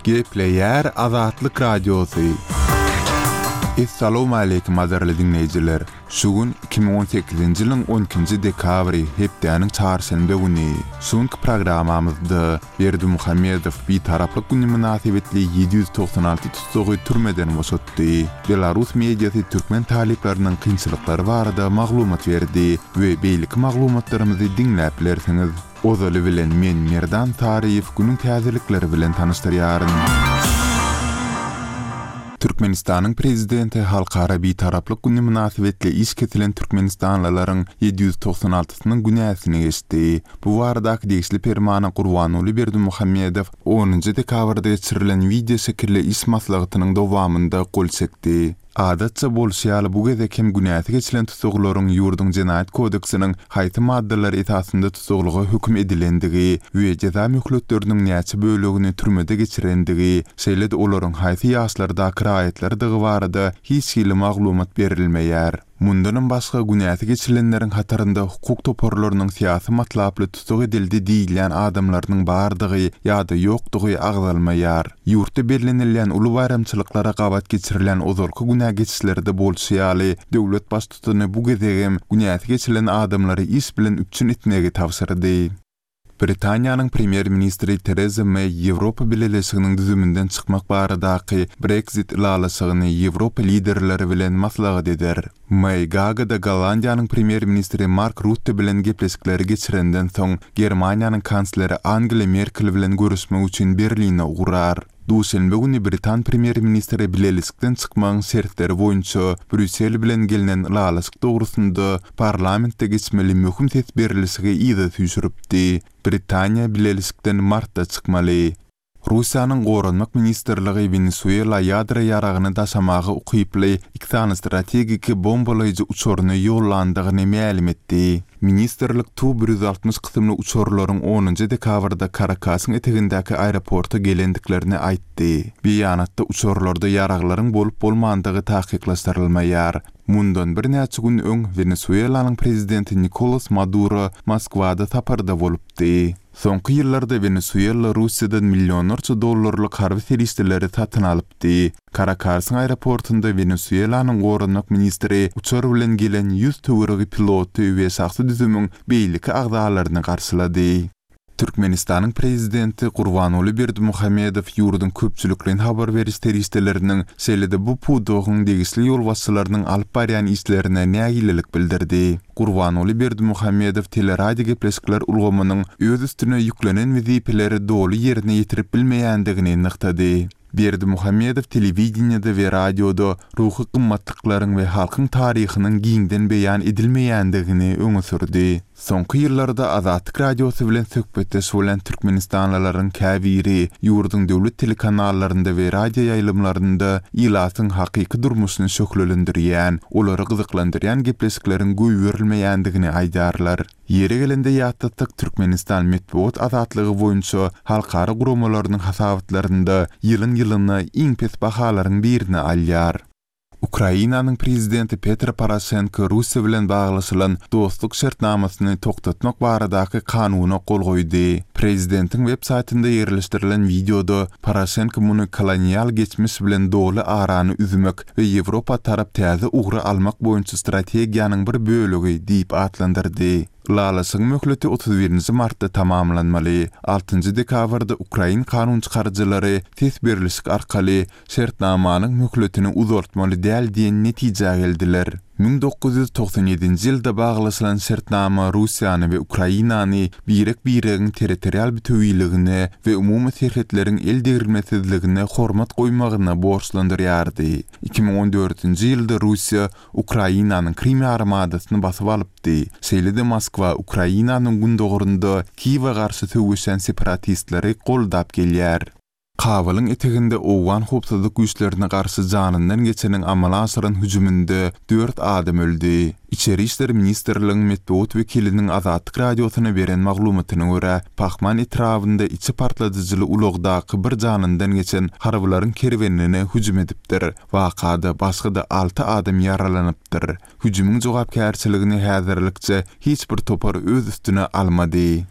Gepleýär Azatlyk Radiosy. Essalowmaleýkim gadyrly diňleýjiler! Şu gün 2018-nji ýylyň on ikinji dekabry, hepdäniň çarşenbe güni. Şu günki programmamyzda Berdimuhamedow Bitaraplyk güni mynasybetli 796 tussagy türmeden boşatdy. Belarus mediasy türkmen talyplarynyň kynçylyklary barada maglumat berdi we beýleki maglumatlarymyzy diňläp bilersiňiz. Ozaly bilen men Merdan Saryýew günüň täzelikleri bilen tanyşdyrýaryn. Türkmenistanyň Prezidenti Halkara Bitaraplyk güni mynasybetli iş kesilen türkmenistanlylaryň 796 synyň günäsini geçdi. Bu baradaky degişli permana Gurbanguly Berdimuhamedow onunjy dekabrda geçirilen wideoşekilli iş maslahatynyň dowamynda gol çekdi. Adatça bolşy ýaly bu gezek hem günäsi geçilen tussaglaryň ýurduň Jenaýat kodeksiniň haýsy maddalary esasynda tussaglyga höküm edilendigi we jeza möhletleriniň näçe bölegini türmede geçirendigi, şeýle-de olaryň haýsy ýaşlardaky raýatlardygy barada hiç hili maglumat berilmeýär. Mundanam başga, günäsi geçilenleriň hatarynda hukuk toparlarynyň syýasy matlaply tussag edildi diýilýän adamlarynyň bardygy ýa-da ýokdugy agzalmaýar. Ýurtda bellenilýän uly baýramçylyklara gabat geçirilýän ozalky günä geçişlerde bolşy ýaly, döwlet baştutany bu gezegem günäsi geçilen adamlary iş bilen üpjün etmegi tabşyrdy. Britaniýanyň premýer-ministri Tereza Meý Ýewropa Bileleşiginiň düzüminden çykmak baradaky Brexit ylalaşygyny ýewropa liderleri bilen maslahat eder. Meý Gaagada Gollandiýanyň premýer-ministri Mark Rutte bilen gepleşikleri geçirenden soň, Germaniýanyň kansleri Angela Merkel bilen görüşmek üçin Berline ugrar. Duşenbe güni britan premýer-ministri bileleşikden çykmagyň şertleri boýunça Brýussel bilen gelnen ylalaşyk dogrusynda parlamentde geçmeli möhüm ses berlişigi yza süýşüripdi. Britaniýa bileleşikden martda çykmaly. Russiýanyň Goranmak ministrligi Wenesuela ýadro ýaragyny daşamaga ukyply iki sany strategiki bombalaýjy uçaryny ýollandygyny mälim etdi. Ministrlik Tu 160 kysymly uçarlaryň onunjy dekabrda Karakasyň etegindäki aeroporta gelendiklerini aýtdy. Beýanatda uçarlarda ýaraglaryň bolup-bolmandygy takyklaşdyrylmaýar. Mundan birnäçe gün öň Wenesuelanyň prezidenti Nikolas Maduro Moskwada saparda bolupdy. Soňky ýyllarda Wenesuela Russiýadan millionlarça dollarlyk harby serişdeleri satyn alypdy. Karakasyň aeroportunda Wenesuelanyň goranmak ministri uçar bilen gelen 100 töweregi piloty we şahsy düzümiň beýleki agzalaryny garşylady. Türkmenistanyň Prezidenti Gurbanguly Berdimuhamedow ýurduň köpçülikleýin habar beriş serişdeleriniň, şeýle-de bu pudagyň degişli ýolbaşçylarynyň alyp barýan işlerine nägilelik bildirdi. Gurbanguly Berdimuhamedow teleradiogepleşikler ulgamynyň öz üstüne ýüklenen wezipeleri doly ýerine ýetirip bilmeýändigini nygtady. Berdimuhamedow telewideniýede we radioda ruhy gymmatlyklaryň we halkyň taryhynyň giňden beýan edilmeýändigini öňe sürdi. Soňky ýyllarda Azatlyk Radiosy bilen söhbetdeş bolan türkmenistanlylaryň käbiri ýurduň döwlet telekanallarynda we radioýaýlymlarynda ilatyň hakyky durmuşyny şöhlelendirýän, olary gyzyklandyrýan gepleşikleriň goýberilmeýändigini aýdýarlar. Ýeri gelende ýatlatsak, Türkmenistan metbugat azatlygy boýunça halkara guramalarynyň hasabatlarynda ýylyň-ýylyna iň pes bahalaryň birini alýar. Ukrainanyň prezidenti Petro Poroşenko Russiýa bilen baglaşylan dostluk şertnamasyny togtatmak baradaky kanuna gol goýdy. Prezidentiň web saýtynda ýerleşdirilen wideoda Poroşenko muny kolonial geçmiş bilen doly arany üzmek we Ýewropa tarap täze ugry almak boýunça strategiýanyň bir bölegi diýip atlandyrdy. Ylalaşygyň möhleti 31 nji martda tamamlanmaly. Altynjy dekabrda ukrain kanunçykaryjylary ses berlişik arkaly şertnamanyň möhletini uzaltmaly däl diýen netijä geldiler. 1997-nji ýylda baglaşylan şertnama Russiýany we Ukrainany birek-biregiň territorial bütewiligine we umumy serhetleriň eldegrilmesizligine hormat goýmagyna borçlandyrýardy. 2014-nji ýylda Russiýa Ukrainanyň Krym ýarymadasyny basyp alypdy. Şeýle-de Moskwa Ukrainanyň gündogarynda Kiýewe garşy söweşýän separatistleri goldap gelýär. Kabylyň eteginde owgan howpsuzlyk güýçlerine garşy janyndan geçeniň amala aşyran hüjüminde dört adam öldi. Içeri işler ministrligiň metbugat wekiliniň Azatlyk Radiosyna beren maglumatyna görä, Pahman etrabynda içi partladyjyly ulagdaky bir janyndan geçen harbylaryň kerwenine hüjüm edipdir. Wakada başga-da alty adam ýaralanypdyr. Hüjümiň jogapkärçiligini häzirlikçe hiç bir topar öz üstüne almady.